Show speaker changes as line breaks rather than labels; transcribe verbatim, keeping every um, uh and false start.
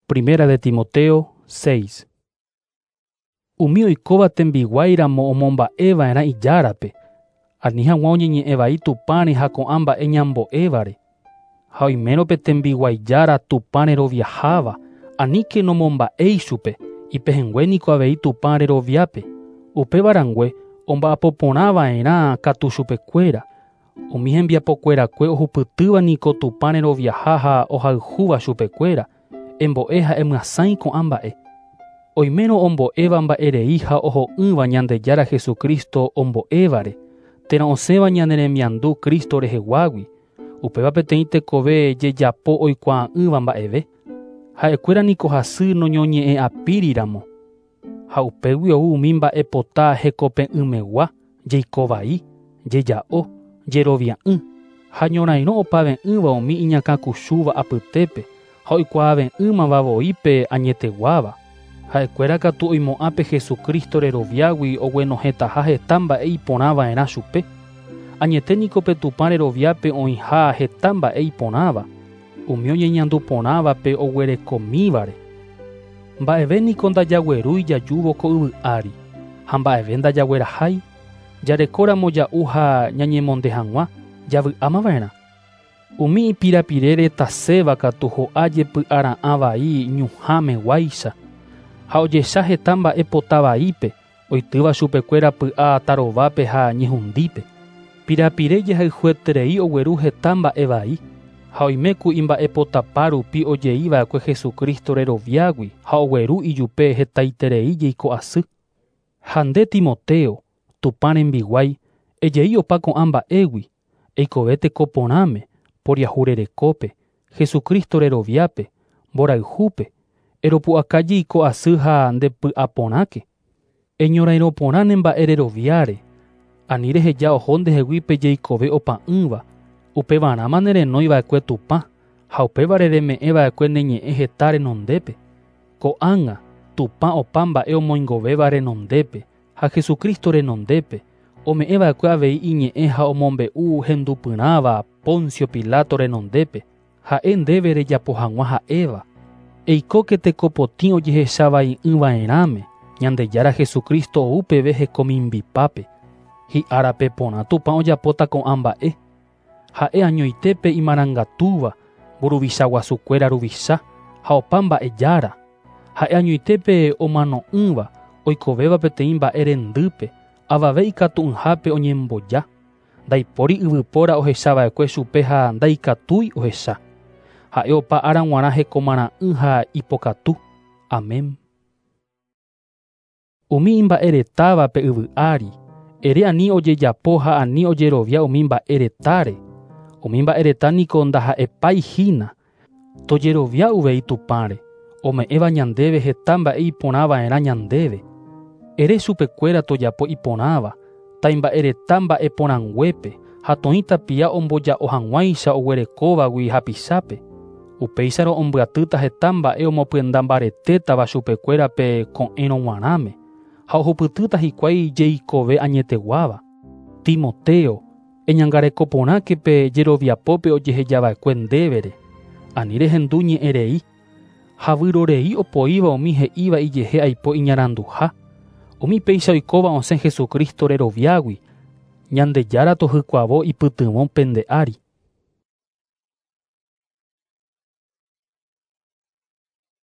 Primera de Timoteo seis. Umi oikóva tembiguáiramo omomba'eva'erã ijárape, ani hag̃ua oñeñe'ẽvai Tupãre ha ko'ã mba'e ñambo'évare. Ha oimérõ pe tembiguaijára Tupã reroviaháva, aníke nomomba'éi chupe, ipehẽngue niko avei Tupã reroviápe. Upévarangue omba'apoporãva'erã katu chupekuéra. Umi hembiapokuerakue ohupytýva niko Tupã reroviaha ha ohayhúva chupekuéra, embo'e ha emyasãi ko'ã mba'e. Oimérõ ombo'éva mba'erei ha oho'ỹva Ñandejára Jesucristo ombo'évare, térã osẽva ñane remiandu Cristo reheguágui, upéva peteĩ tekove jejapo oikuaa'ỹva mba'eve. Ha'ekuéra niko hasy noñoñe'ẽ'apíriramo. Ha upégui ou umi mba'epota hekope'ỹmegua, jeikovai, jeja'o, jerovia'ỹ, ha ñorairõ opave'ỹva umi iñakãkuchúva apytépe ha oikuaave'ỹmava voi pe añeteguáva. Ha'ekuéra katu oimo'ã pe Jesucristo reroviágui oguenohẽtaha heta mba'e iporãva'erã chupe. Añete niko pe Tupã reroviápe oĩha heta mba'e iporãva, umi oñeñanduporãvape oguerekomívare. Mba'eve niko ndajaguerúi jajúvo ko yvy ári, ha mba'eve ndajaguerahái, jarekóramo ja'u ha ñañemonde hag̃ua, javy'ámava'erã. Umi ipirapirére taséva katu ho'a jepy'ara'ã vai ñuhãmeguáicha, ha ojecha heta mba'e potavaípe, oitýva chupekuéra py'a tarovápe ha ñehundípe. Pirapire jehayhueterei ogueru heta mba'e vai, ha oiméku imba'epotapa rupi ojeiva'ekue Jesucristo reroviágui ha ogueru ijupe hetaiterei jeiko asy. Ha nde Timoteo, Tupã rembiguái, ejei opa ko'ã mba'égui, eikove tekoporãme, poriahurerekópe, Jesucristo reroviápe, mborayhúpe, eropu'aka jeiko asy ha ndepy'aporãke. Eñorairõporã ne mba'e reroviáre, ani reheja oho ndehegui pe jeikove opa'ỹva, upevarãma nerenóiva'ekue Tupã, ha upévare reme'ẽva'ekue ne ñe'ẽ heta renondépe. Ko'ág̃a, Tupã opa mba'e omoingovéva renondépe, ha Jesucristo renondépe, ome'ẽva'ekue avei iñe'ẽ ha omombe'u hendupyrãva Poncio Pilato renondépe, ha'e ndéve rejapo hag̃ua ha'éva. Eikóke tekopotĩ ojehechavai'ỹva'erãme, Ñandejára Jesucristo ou peve hekomimbipápe. Hi'árape porã Tupã ojapóta ko'ã mba'e. Ha'e añoitépe imarangatúva, mburuvicha guasukuéra ruvicha ha opa mba'ejára. Ha'e añoitépe omano'ỹva, oikovéva peteĩ mba'e rendýpe, avave ikatu'ỹhápe oñemboja. Ndaipóri yvypóra ohechava'ekue chupe ha ndaikatúi ohecha. Ha'e opa ára g̃uarã hekomarã'ỹ ha ipokatu. Amén. Umi imba'eretáva pe yvy ári, ere ani ojejapo ha ani ojerovia umi mba'eretáre. Umi mba'ereta niko ndaha'epái hína. Tojerovia uvei Tupãre, ome'ẽva ñandéve heta mba'e iporãva'erã ñandéve. Ere chupekuéra tojapo iporãva, taimba'ereta mba'eporãnguépe ha toĩ tapia omboja'o hag̃uáicha oguerekóvagui hapichápe. Upéicharõ ombyatýta heta mba'e omopyenda mbaretétava chupekuéra pe ko'ẽrõ g̃uarãme, ha ohupytýta hikuái jeikove añeteguáva. Timoteo, eñangarekoporãke pe jeroviapópe ojehejava'ekue ndévere, ani rehendu ñe'ẽrei, ha vyrorei opoíva umi he'íva ijehe aipo iñaranduha. Umi péicha oikóva osẽ Jesucristo reroviágui, Ñandejára tohykuavo ipytyvõ pende ári.